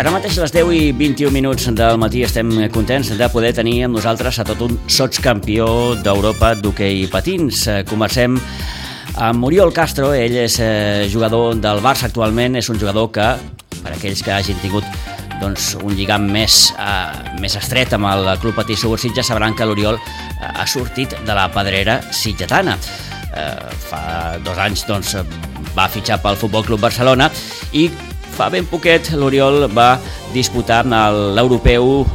Ara mateix a les 10 i 21 minuts del matí estem contents de poder tenir amb nosaltres a tot un sotscampió d'Europa d'hoquei patins. Comencem amb Oriol Castro. Ell és jugador del Barça actualment, és un jugador que, per aquells que hagin tingut un lligam més estret amb el Club Patí Subursitges, sabran que l'Oriol ha sortit de la pedrera sitgetana. Fa 2 anys va fitxar pel Futbol Club Barcelona i fa ben poquet l'Oriol va disputar l'europeu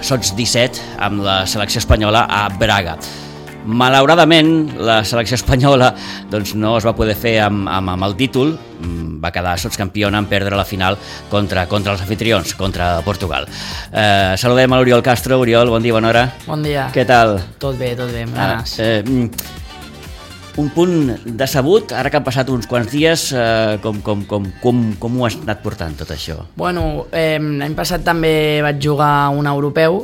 sots 17 amb la selecció espanyola a Braga. Malauradament la selecció espanyola no es va poder fer amb el títol, va quedar sotscampiona en perdre la final contra els anfitrions, contra Portugal. Saludem a l'Oriol Castro. Oriol, bon dia, bona hora. Bon dia. Què tal? Tot bé, ganes. Un punt decebut, ara que han passat uns quants dies, com ho has anat portant tot això? Bueno, l'any passat també vaig jugar un europeu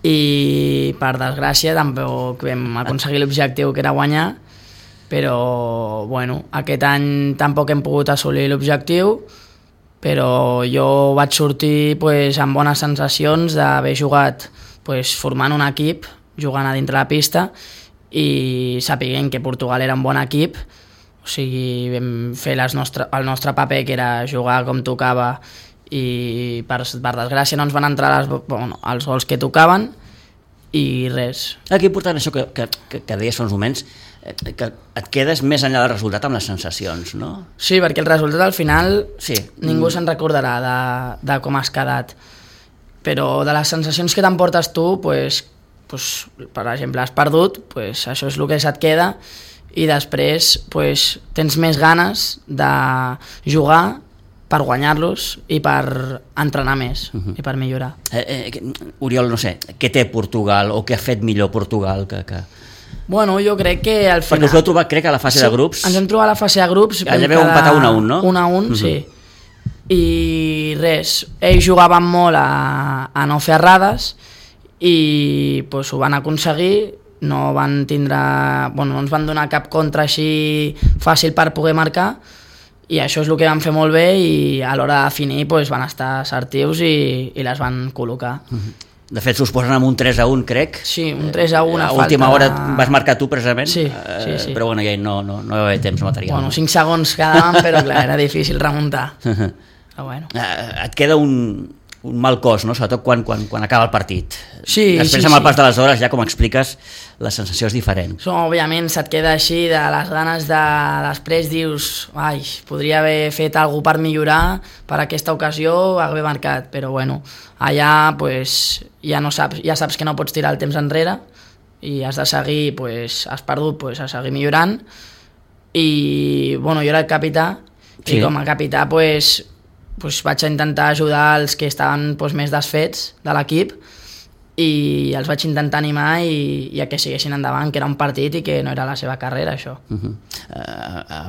i per desgràcia tampoc vam aconseguir l'objectiu que era guanyar, però bueno, aquest any tampoc hem pogut assolir l'objectiu, però jo vaig sortir amb bones sensacions d'haver jugat formant un equip, jugant a dintre la pista, i sapiguem que Portugal era un bon equip, o sigui, vam fer el nostre paper, que era jugar com tocava, i per desgràcia no ens van entrar els gols que tocaven i res. Que important això que deies fa uns moments, que et quedes més enllà del resultat amb les sensacions, no? Sí, perquè el resultat al final ningú se'n recordarà de com has quedat, però de les sensacions que t'emportes tu, per exemple, has perdut, això és el que se't queda, i després tens més ganes de jugar per guanyar-los i per entrenar més i per millorar. Oriol, no sé, què té Portugal o què ha fet millor Portugal que... Bueno, jo crec que al final... Perquè us heu trobat, crec, a la fase de grups. Ens hem trobat a la fase de grups. Allà veu empatar 1-1, no? 1-1, sí. I res, ells jugaven molt a no fer errades i ho van aconseguir, no van tindre... no ens van donar cap contra així fàcil per poder marcar, i això és el que van fer molt bé, i a l'hora de definir van estar assertius i les van col·locar. De fet, s'us posen amb un 3-1, crec. Sí, un 3-1 a última hora vas marcar tu, precisament. Sí. Però ja no hi va haver temps material. 5 segons quedaven, però clar, era difícil remuntar. Però bueno. Et queda un mal cos, no? Sobretot quan acaba el partit. Sí, després, amb el pas de les hores, ja com expliques, la sensació és diferent. Òbviament se't queda així de les ganes de... Després dius, podria haver fet alguna cosa per millorar, per aquesta ocasió haver marcat, però bueno, allà ja saps que no pots tirar el temps enrere i has de seguir, has perdut, a seguir millorant, i jo era el capità, i com a capità vaig intentar ajudar els que estaven més desfets de l'equip, i els vaig intentar animar i a que siguessin endavant, que era un partit i que no era la seva carrera, això.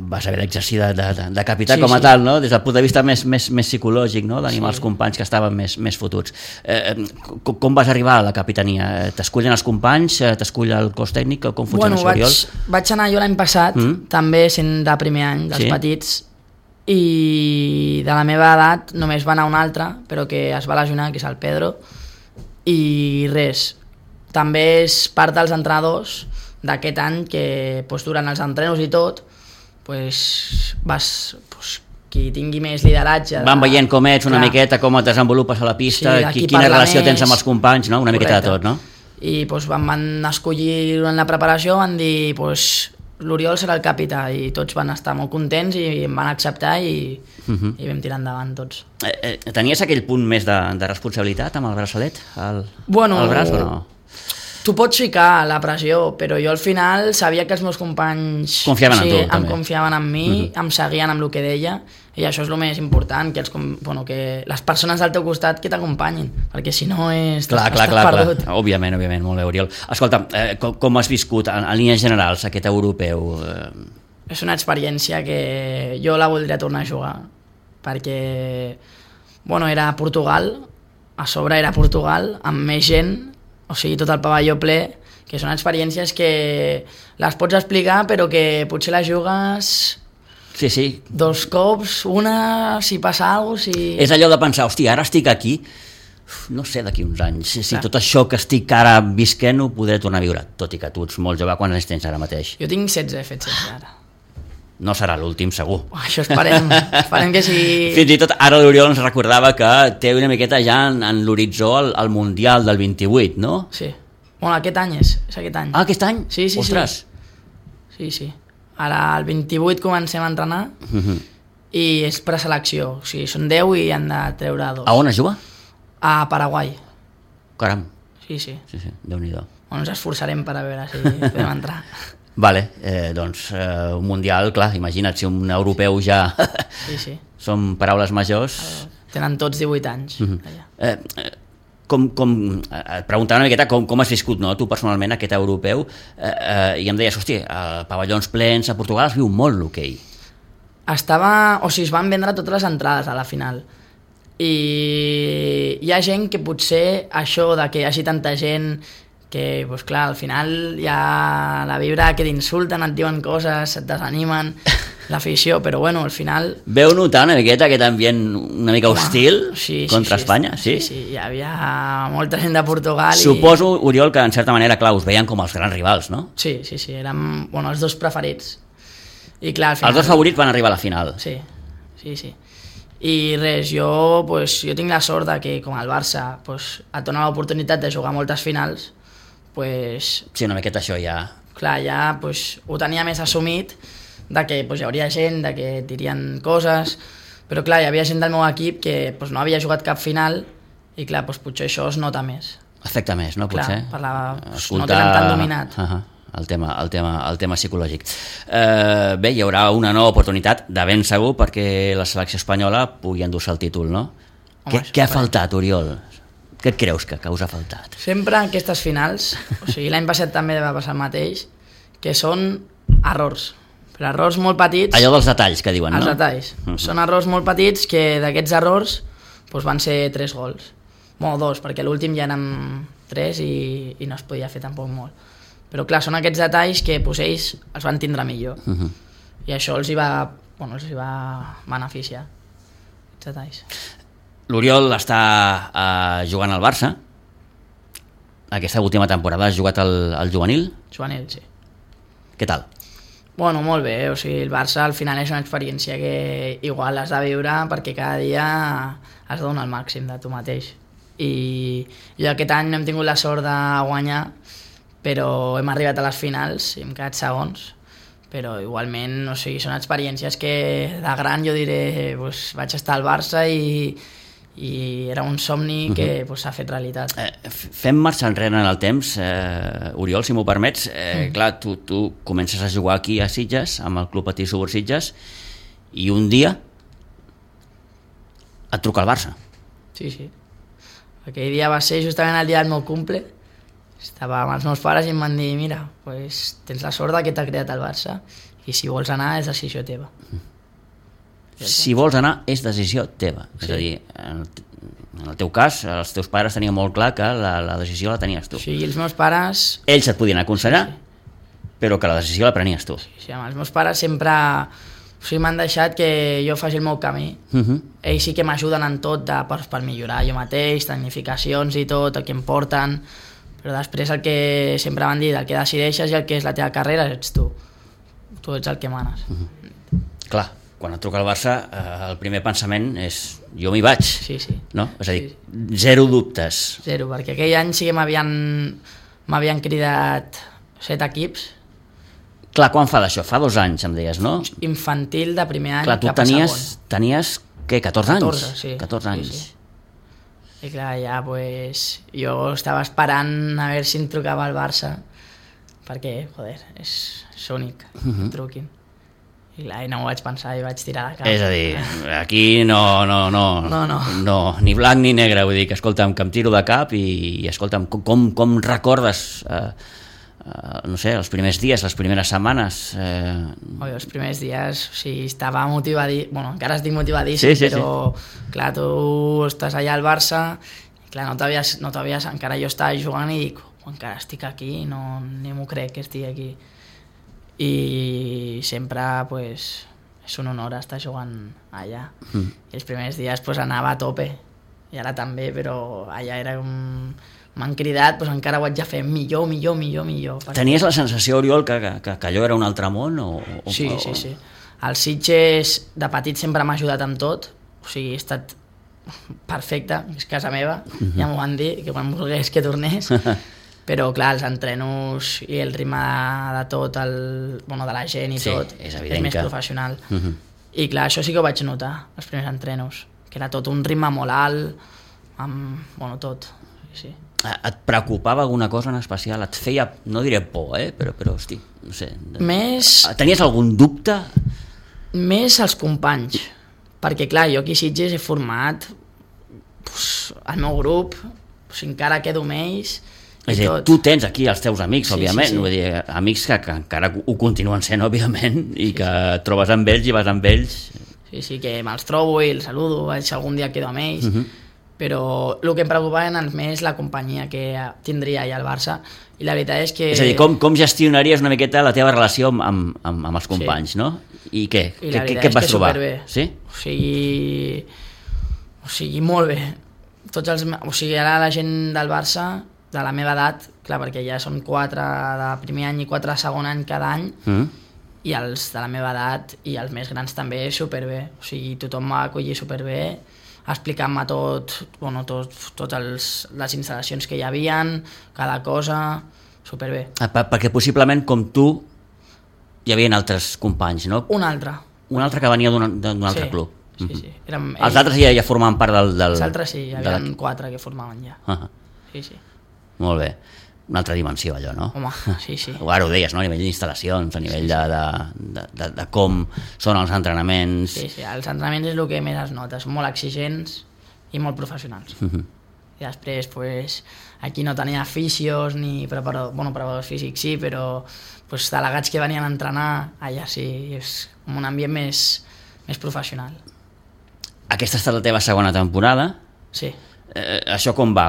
Vas haver d'exercir de capità com a tal, no? Des del punt de vista més psicològic, no? D'animar els companys que estaven més fotuts. Com vas arribar a la capitania? T'escullen els companys? T'escull el cos tècnic? Com funciona això, Oriol? Vaig anar jo l'any passat, també sent de primer any, dels petits, i de la meva edat només va anar un altre, però que es va lesionar, que és el Pedro, i res, també és part dels entrenadors d'aquest any, que durant els entrenos i tot qui tingui més lideratge van veient com ets una miqueta, com et desenvolupes a la pista, quina relació tens amb els companys, no? Una miqueta de tot, no? I van escollir durant la preparació, van dir l'Oriol serà el capità, i tots van estar molt contents i em van acceptar i vam tirar endavant tots. Tenies aquell punt més de responsabilitat amb el braçalet al braç o no? Tu pots ficar la pressió, però jo al final sabia que els meus companys confiaven en tu, em confiaven en mi, em seguien amb el que deia, i això és el més important, que les persones al teu costat que t'acompanyin, perquè si no estàs perdut. Òbviament, molt bé, Oriol. Escolta, com has viscut en línies generals aquest europeu? És una experiència que jo la voldria tornar a jugar, perquè era a Portugal, a sobre era Portugal, amb més gent, o sigui, tot el pavelló ple, que són experiències que les pots explicar, però que potser les jugues Sí. 2 cops, una, si passa alguna cosa, si... És allò de pensar, hòstia, ara estic aquí, no sé d'aquí uns anys, si tot això que estic ara visquent ho podré tornar a viure, tot i que tu ets molt jove. Quants anys tens ara mateix? Jo tinc 16, he fet 16 ara. No serà l'últim, segur. Això esperem que sigui... Fins i tot ara l'Oriol ens recordava que té una miqueta ja en l'horitzó el Mundial del 28, no? Sí. Bueno, aquest any és aquest any. Ah, aquest any? Sí. Ostres. Sí. Ara el 28 comencem a entrenar i és preselecció. O sigui, són 10 i han de treure 2. A on es juga? A Paraguai. Caram. Sí. Déu-n'hi-do. Bueno, ens esforçarem per a veure si podem entrar. Vale, doncs un mundial, clar, imagina't, si un europeu ja... Sí. Són paraules majors. Tenen tots 18 anys. Et preguntava una miqueta com has viscut, no, tu personalment, aquest europeu, i em deies, hòstia, a pavellons plens, a Portugal es viu molt l'hoquei. Es van vendre totes les entrades a la final. I hi ha gent que potser això de que hi hagi tanta gent que, doncs clar, al final hi ha la vibra que t'insulten, et diuen coses, et desanimen, l'afició, però bueno, al final... Veu notar una miqueta aquest ambient una mica hostil contra Espanya? Sí, hi havia molta gent de Portugal. Suposo, Oriol, que en certa manera, clar, us veien com els grans rivals, no? Sí, érem els 2 preferits. I clar, al final... Els 2 favorits van arribar a la final. Sí. I res, jo tinc la sort de que, com el Barça, et dona l'oportunitat de jugar moltes finals, sí, una miqueta això ja... Clar, ja ho tenia més assumit, de que hi hauria gent, de que et dirien coses, però clar, hi havia gent del meu equip que no havia jugat cap final i clar, potser això es nota més. Afecta més, no? Potser? Clar, no tenen tan dominat. El tema psicològic. Bé, hi haurà una nova oportunitat, de ben segur, perquè la selecció espanyola pugui endur-se el títol, no? Què ha faltat, Oriol? Què et creus que us ha faltat? Sempre en aquestes finals, l'any passat també va passar el mateix, que són errors, però errors molt petits... Allò dels detalls que diuen, no? Els detalls. Són errors molt petits que d'aquests errors van ser 3 gols. Bueno, 2, perquè l'últim ja érem 3 i no es podia fer tampoc molt. Però clar, són aquests detalls que ells els van tindre millor. I això els hi va beneficiar, aquests detalls. L'Oriol està jugant al Barça. Aquesta última temporada has jugat al juvenil? Juvenil, sí. Què tal? Bueno, molt bé. El Barça al final és una experiència que igual has de viure perquè cada dia has de donar el màxim de tu mateix. I aquest any no hem tingut la sort de guanyar, però hem arribat a les finals i hem quedat segons. Però igualment, són experiències que de gran jo diré, vaig estar al Barça i era un somni que s'ha fet realitat. Fem marxa enrere en el temps, Oriol, si m'ho permets. Clar, tu comences a jugar aquí a Sitges, amb el Club Patí Subur Sitges, i un dia et truca el Barça. Sí. Aquell dia va ser justament el dia del meu cumple. Estava amb els meus pares i em van dir, mira, tens la sort que t'ha creat el Barça i si vols anar és decisió teva. Si vols anar és decisió teva. Sí. És a dir, en el teu cas, els teus pares tenien molt clar que la decisió la tenies tu. Sí, i els meus pares... Ells et podien aconsellar, però que la decisió la prenies tu. Sí, els meus pares sempre m'han deixat que jo faci el meu camí. Ells sí que m'ajuden en tot per millorar jo mateix, tecnificacions i tot, el que em porten, però després el que sempre van dir, el que decideixes i el que és la teva carrera ets tu. Tu ets el que manes. Clar, quan et truca el Barça, el primer pensament és jo m'hi vaig. Sí. No? És a dir, zero dubtes. Zero, perquè aquell any sí que m'havien cridat 7 equips. Clar, quan fa d'això? Fa 2 anys, em deies, no? Infantil de primer any. Clar, tu tenies què, 14 anys? 14, sí. 14 anys. Sí. I clar, ja, jo estava esperant a veure si em trucava el Barça, perquè, és únic, em truquin. I clar, no m'ho vaig pensar i vaig tirar la cara. És a dir, aquí no, ni blanc ni negre, vull dir que, escolta'm, que em tiro de cap i escolta'm, com recordes, no sé, els primers dies, les primeres setmanes? Els primers dies, estava motivadíssim, encara estic motivadíssim, però clar, tu estàs allà al Barça, i clar, no t'havies, encara jo estava jugant i dic, encara estic aquí, ni m'ho crec que estic aquí. I sempre, és un honor estar jugant allà. I els primers dies pues, anava a tope, i ara també, però allà era un... m'han cridat, doncs encara ho haig de fer millor. Tenies la sensació, Oriol, que allò era un altre món? Sí. El Sitges de petit sempre m'ha ajudat amb tot, o sigui, he estat perfecte, és casa meva, ja m'ho van dir, que quan volgués que tornés, però clar, els entrenos i el ritme de tot, de la gent i tot, és més professional. I clar, això sí que ho vaig notar, els primers entrenos, que era tot un ritme molt alt, amb tot, sí. Et preocupava alguna cosa en especial? Et feia, no diré por, però hosti, no sé. Tenies algun dubte? Més els companys, perquè clar, jo aquí a Sitges he format el meu grup, encara quedo amb ells. És a dir, tu tens aquí els teus amics, òbviament, vull dir, amics que encara ho continuen sent, òbviament, i que et trobes amb ells i vas amb ells. Sí, que me'ls trobo i els saludo, si algun dia quedo amb ells, però el que em preocupava més la companyia que tindria allà al Barça, i la veritat és que... És a dir, com gestionaries una miqueta la teva relació amb els companys, no? I què? Què et vas trobar? Sí? O sigui, molt bé. Ara la gent del Barça, de la meva edat, clar, perquè ja són 4 de primer any i 4 de segon any cada any, i els de la meva edat i els més grans també superbé. O sigui, tothom m'ha acollit superbé, explicant-me totes les instal·lacions que hi havien, cada cosa, superbé. Perquè possiblement com tu hi havia altres companys, no? Un altre que venia d'un altre club. Sí. Els altres ja formaven part del... Els altres sí, hi havia 4 que formaven ja. Sí. Molt bé. Una altra dimensió, allò, no? Home, sí. Ara ho deies, no? A nivell d'instal·lacions, a nivell de com són els entrenaments... Sí, els entrenaments és el que més es nota, són molt exigents i molt professionals. I després, aquí no tenia fisios ni preparadors físics, sí, però delegats que venien a entrenar, allà sí, és un ambient més professional. Aquesta ha estat la teva segona temporada? Sí. Això com va?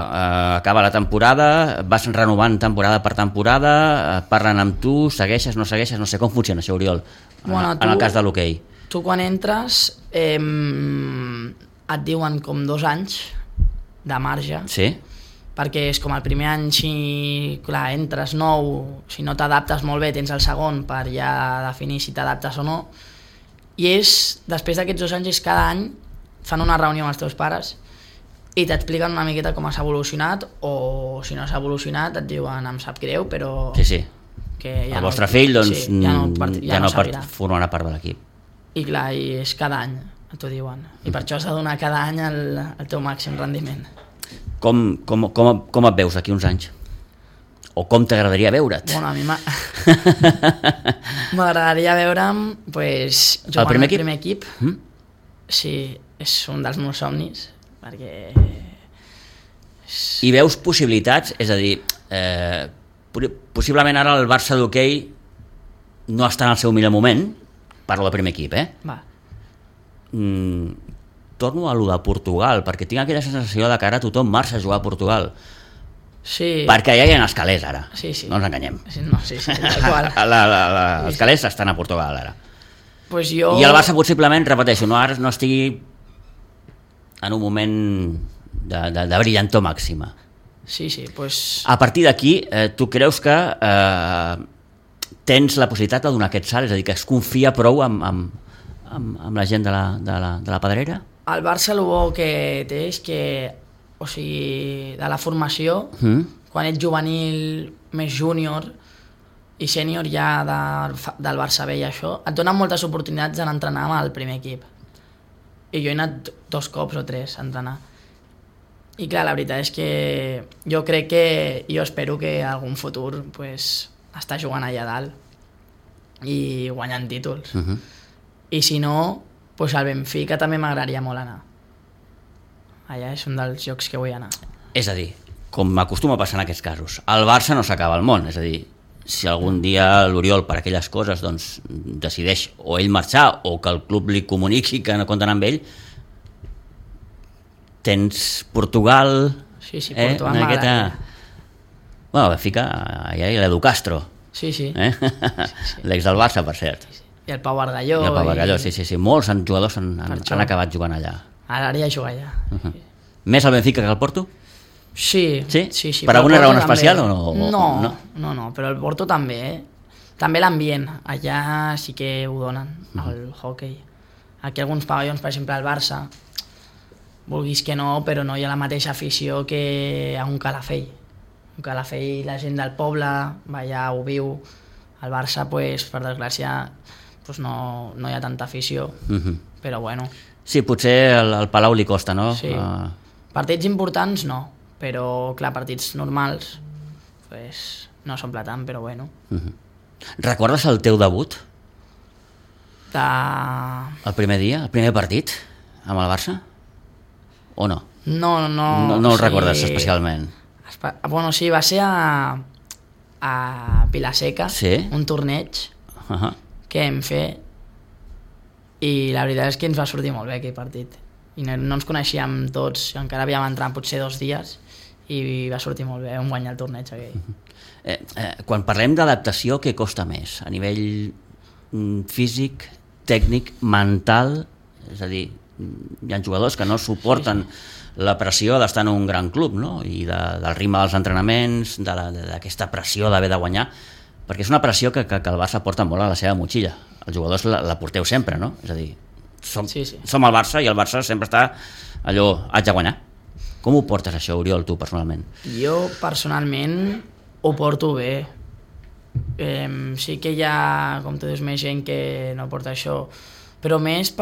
Acaba la temporada, vas renovant temporada per temporada, parlen amb tu, segueixes, no segueixes, no sé com funciona això, Oriol, en el cas de l'hoquei. Tu quan entres et diuen com 2 anys de marge, sí? Perquè és com el primer any, si clar, entres nou, si no t'adaptes molt bé tens el segon per ja definir si t'adaptes o no, i després d'aquests 2 anys cada any fan una reunió amb els teus pares i t'expliquen una miqueta com has evolucionat, o si no has evolucionat et diuen em sap greu, però... Sí. Que ja el vostre fill doncs, ja no formarà part de l'equip. I clar, és cada any, t'ho diuen. I per això has de donar cada any el teu màxim rendiment. Com et veus d'aquí uns anys? O com t'agradaria veure't? Bueno, a mi m'agradaria veure'm jugant al primer equip. Sí, és un dels meus somnis, perquè... I veus possibilitats? És a dir, possiblement ara el Barça d'hoquei no està en el seu millor moment, parlo del primer equip, Va. Torno a lo de Portugal, perquè tinc aquella sensació de que ara tothom marxa a jugar a Portugal. Sí. Perquè ja hi ha els calés ara, sí. No ens enganyem. Sí, igual. Els calés estan a Portugal ara. I el Barça possiblement, repeteixo, ara no estigui en un moment de brillantor màxima. Sí, A partir d'aquí, tu creus que tens la possibilitat de donar aquest salt, és a dir, que es confia prou amb la gent de la Pedrera? El Barça el bo que té és que, o sigui, de la formació, quan ets juvenil, més júnior i sènior ja del Barça B i això, et donen moltes oportunitats d'entrenar amb el primer equip. I jo he anat 2 cops o 3 a entrenar. I clar, la veritat és que jo crec que, jo espero que en algun futur estar jugant allà dalt i guanyant títols. I si no, al Benfica també m'agradaria molt anar. Allà és un dels llocs que vull anar. És a dir, com m'acostuma a passar en aquests casos, el Barça no s'acaba al món, és a dir, si algun dia l'Oriol per aquelles coses decideix o ell marxar o que el club li comuniqui que no compten amb ell, tens Portugal... Sí, Portugal m'agrada. Benfica, allà hi ha l'Edu Castro. Sí. L'ex del Barça, per cert. I el Pau Bargalló. I el Pau Bargalló, sí. Molts jugadors han acabat jugant allà. Ara ja juga allà. Més al Benfica que al Porto? Sí. Per alguna raó especial o no? No, però el Porto també, També l'ambient, allà sí que ho donen, el hoquei. Aquí alguns pavellons, per exemple al Barça, vulguis que no, però no hi ha la mateixa afició que a un Calafell. Un Calafell, la gent del poble va allà, ho viu. Al Barça, pues, per desgràcia, pues no hi ha tanta afició, però bueno. Sí, potser al Palau li costa, no? Sí. Partits importants no, però clar, partits normals pues, no s'omple tant, però bueno. Recordes el teu debut? El primer dia, el primer partit amb el Barça? O no? No el recordes especialment? Bueno, sí, va ser a Vilaseca, un torneig que hem fet, i la veritat és que ens va sortir molt bé aquell partit. I no ens coneixíem tots, encara havíem entrat potser 2 dies i va sortir molt bé, vam guanyar el torneig aquell. Quan parlem d'adaptació, què costa més? A nivell físic, tècnic, mental? És a dir, hi ha jugadors que no suporten la pressió d'estar en un gran club, no? I del ritme dels entrenaments, d'aquesta pressió d'haver de guanyar, perquè és una pressió que el Barça porta molt a la seva motxilla. Els jugadors la porteu sempre, no? És a dir, som el Barça i el Barça sempre està allò, haig de guanyar. Com ho portes això, Oriol, tu personalment? Jo personalment ho porto bé. Sí que hi ha, com tu dius, més gent que no porta això, però més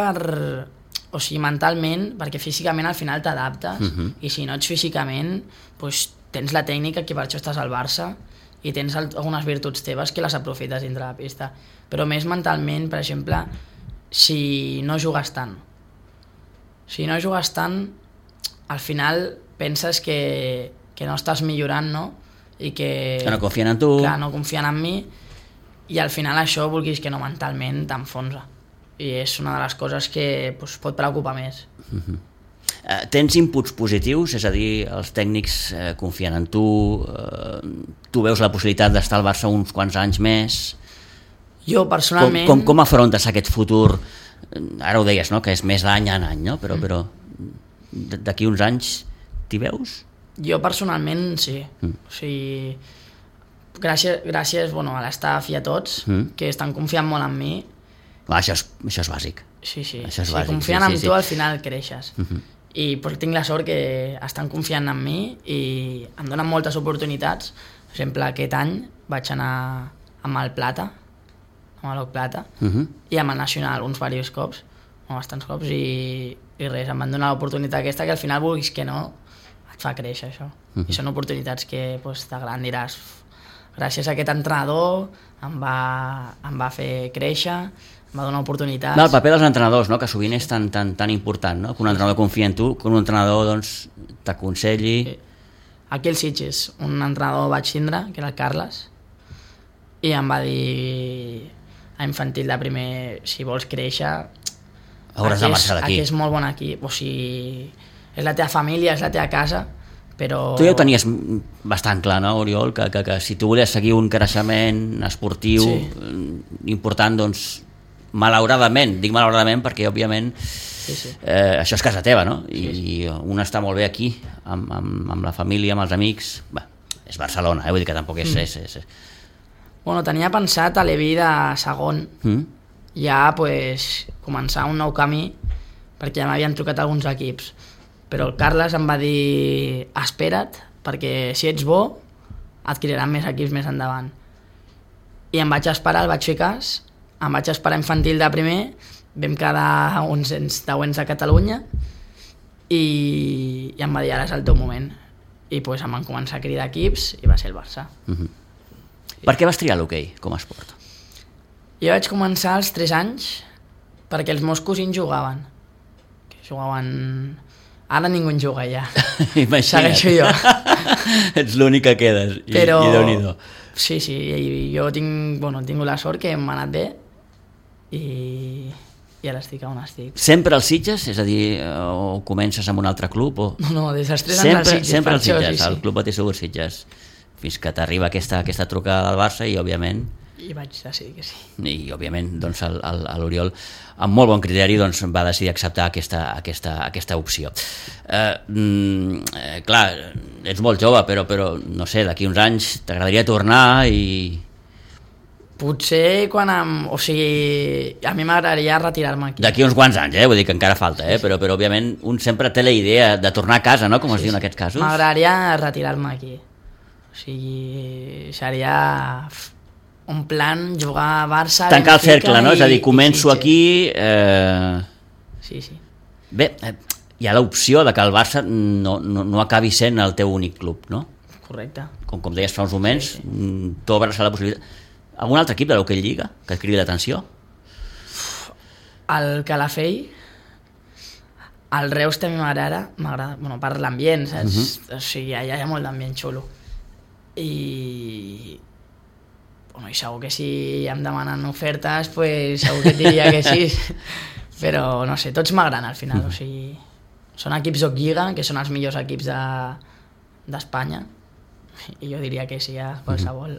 o sigui, mentalment, perquè físicament al final t'adaptes, i si no ets físicament, doncs tens la tècnica, que per això estàs al Barça, i tens algunes virtuts teves que les aprofites dintre la pista. Però més mentalment, per exemple, si no jugues tant. Si no jugues tant, al final penses que no estàs millorant, no? I que no confien en tu. Clar, no confien en mi, i al final això, vulguis que no, mentalment t'enfonsa. I és una de les coses que pot preocupar més. Tens inputs positius? És a dir, els tècnics confien en tu, tu veus la possibilitat d'estar al Barça uns quants anys més? Jo personalment... Com afrontes aquest futur? Ara ho deies, no?, que és més d'any en any, no? Però d'aquí uns anys t'hi veus? Jo personalment sí. O sigui, gràcies a l'estaf i a tots, que estan confiant molt en mi. Això és bàsic. Sí. Si confien en tu, al final creixes. I tinc la sort que estan confiant en mi i em donen moltes oportunitats. Per exemple, aquest any vaig anar amb el Plata, amb l'Oc Plata, i amb el Nacional bastants cops, i res, em van donar l'oportunitat aquesta, que al final, vulguis que no, et fa créixer això. I són oportunitats que t'agraden, diràs, gràcies a aquest entrenador em va fer créixer, em va donar oportunitats. El paper dels entrenadors, no?, que sovint és tan important, no?, que un entrenador confia en tu, que un entrenador t'aconselli. Aquí al Sitges, un entrenador vaig tindre, que era el Carles, i em va dir a infantil de primer, si vols créixer, hauràs de marxar d'aquí. Aquí és molt bon equip, o sigui, és la teva família, és la teva casa, però... Tu ja ho tenies bastant clar, no, Oriol, que si tu volies seguir un creixement esportiu important, doncs, malauradament, dic malauradament perquè, òbviament, això és casa teva, no? I un està molt bé aquí, amb la família, amb els amics. És Barcelona, vull dir que tampoc és... Bueno, tenia pensat a l'Evi de segon, ja començar un nou camí, perquè ja m'havien trucat alguns equips, però el Carles em va dir espera't, perquè si ets bo et cridaran més equips més endavant. I em vaig esperar, el vaig fer cas, em vaig esperar infantil de primer, vam quedar 11 a Catalunya i em va dir ara és el teu moment, i em van començar a cridar equips i va ser el Barça. Per què vas triar l'hoquei com a esport? Jo vaig començar als 3 anys perquè els meus cosins jugaven. Ara ningú en juga ja. Segueixo jo. Ets l'únic que quedes. Però... I Déu-n'hi-do. Sí, jo he tingut la sort que m'ha anat bé i ara estic on estic. Sempre als Sitges? És a dir, o comences amb un altre club? O... No, des dels 3 anys als Sitges. Sempre als Sitges, al Club Betis Segur Sitges. Fins que t'arriba aquesta trucada del Barça i, òbviament... I vaig decidir que sí. I, òbviament, doncs, l'Oriol, amb molt bon criteri, doncs, va decidir acceptar aquesta opció. Clar, ets molt jove, però no sé, d'aquí uns anys t'agradaria tornar i... Potser quan o sigui, a mi m'agradaria retirar-me aquí. D'aquí uns quants anys, vull dir que encara falta, però òbviament un sempre té la idea de tornar a casa, no?, com es diu en aquests casos. M'agradaria retirar-me aquí. O sigui, seria un plan jugar a Barça... Tancar el cercle, no? És a dir, començo aquí... Sí. Bé, hi ha l'opció de que el Barça no acabi sent el teu únic club, no? Correcte. Com deies fa uns moments, t'obres a la possibilitat... Algun altre equip de l'Hockey Lliga que et cridi l'atenció? El Calafell, el Reus també m'agrada, bueno, per l'ambient, saps? O sigui, allà hi ha molt d'ambient xulo. I segur que si em demanen ofertes, pues segur que et diria que sí. Però, no sé, tots m'agraden al final. O sigui, són equips d'Hockey Lliga, que són els millors equips d'Espanya. I jo diria que sí a qualsevol.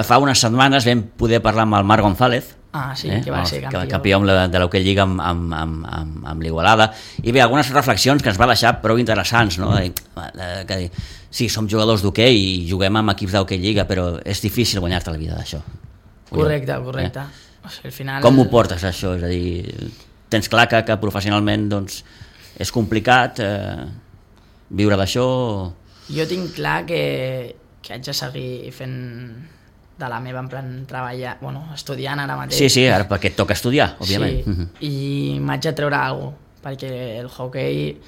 Fa unes setmanes vam poder parlar amb el Marc González, que va ser campió de l'Hockey Lliga amb l'Igualada, i bé, algunes reflexions que ens va deixar prou interessants, no? Que sí, som jugadors d'hoquei i juguem amb equips d'Hockey Lliga, però és difícil guanyar-te la vida d'això. Correcte. O sigui, al final... Com ho portes, això? És a dir, tens clar que professionalment doncs, és complicat viure d'això? Jo tinc clar que haig de seguir fent de la meva, en plan, treballar, bueno, estudiant ara mateix. Sí, ara perquè et toca estudiar, òbviament. Sí, i m'haig de treure alguna cosa, perquè el hoquei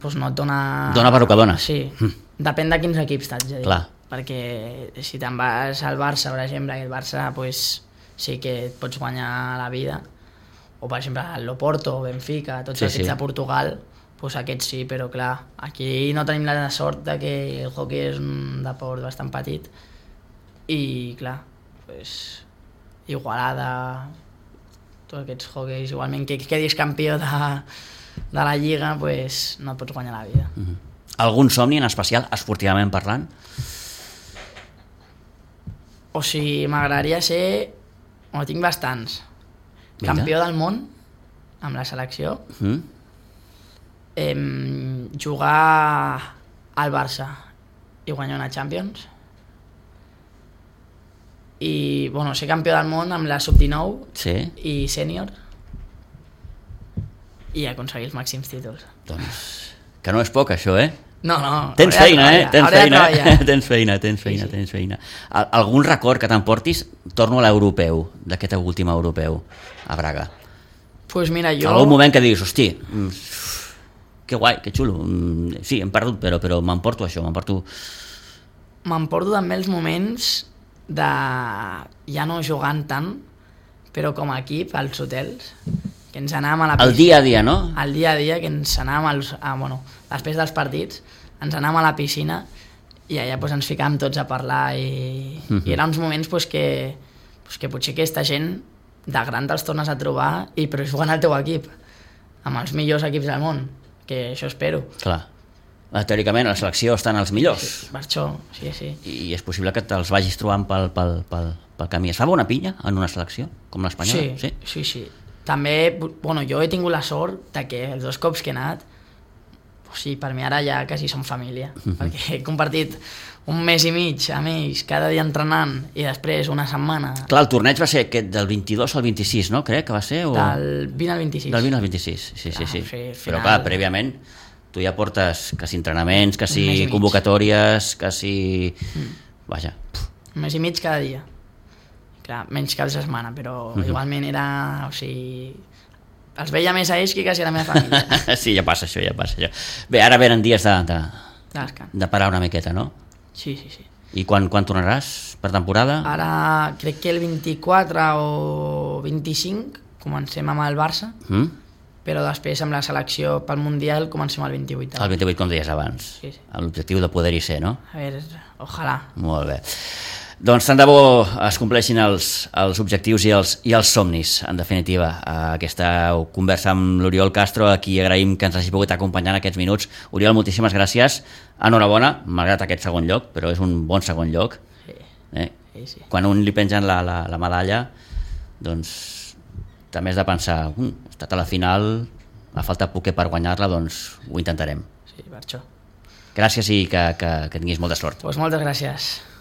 pues, no et dona... Dona per el que dona. Sí, depèn de quins equips t'haig de dir. Clar. Perquè si te'n vas al Barça, per exemple, que el Barça pues, sí que et pots guanyar la vida, o per exemple el Loporto, Benfica, tots els equips de Portugal, pues aquests sí, però clar, aquí no tenim la sort de que el hoquei és un deport bastant petit i clar, pues, Igualada, tots aquests hoqueis, igualment que quedis campió de la Lliga, pues, no et pots guanyar la vida. Algun somni en especial, esportivament parlant? O sigui, m'agradaria ser, bueno, tinc bastants, campió del món amb la selecció, jugar al Barça i guanyar una Champions i bueno, ser campió del món amb la sub-19 i sènior i aconseguir els màxims títols. Doncs que no és poc això, No. Tens feina, tens feina. Algun record que t'emportis? Torno a l'europeu, d'aquest últim europeu a Braga. Pues mira, jo... Algun moment que diguis, hosti, que guai, que xulo, sí, hem perdut, però m'emporto això, M'emporto també els moments de ja no jugant tant, però com a equip, als hotels, que ens anàvem a la piscina. El dia a dia, no? El dia a dia, que ens anàvem, després dels partits, ens anàvem a la piscina i allà pues, ens ficàvem tots a parlar i eren uns moments pues, que potser aquesta gent de gran te'ls tornes a trobar però jugant al teu equip, amb els millors equips del món, que això espero. Clar. Teòricament a la selecció estan els millors. Sí, per això, sí. I és possible que te'ls vagis trobant pel camí. Es fa bona pinya en una selecció, com l'espanyola? Sí. També, jo he tingut la sort de que els 2 cops que he anat, per mi ara ja quasi som família, perquè he compartit un mes i mig amb ells, cada dia entrenant, i després una setmana... Clar, el torneig va ser del 22 al 26, no? Crec que va ser? Del 20 al 26. Del 20 al 26, sí. Però clar, prèviament, tu ja portes quasi entrenaments, quasi convocatòries, quasi... Vaja. Un mes i mig cada dia. Clar, menys cap de setmana, però igualment era... O sigui... Els veia més a ells que quasi a la meva família. Sí, ja passa això. Bé, ara venen dies de parar una miqueta, no? Sí. I quan tornaràs per temporada? Ara crec que el 24 o 25 comencem amb el Barça, però després amb la selecció pel Mundial comencem el 28. El 28, com deies abans. Sí. Amb l'objectiu de poder-hi ser, no? A veure, ojalà. Molt bé. Doncs tant de bo es compleixin els objectius i els somnis, en definitiva. Aquesta conversa amb l'Oriol Castro, a qui agraïm que ens hagi pogut acompanyar en aquests minuts. Oriol, moltíssimes gràcies. Enhorabona, malgrat aquest segon lloc, però és un bon segon lloc. Sí. sí. Quan un li pengen la medalla, doncs també has de pensar, he estat a la final, ha faltat poquet per guanyar-la, doncs ho intentarem. Sí, per això. Gràcies i que tinguis molta sort. Doncs moltes gràcies.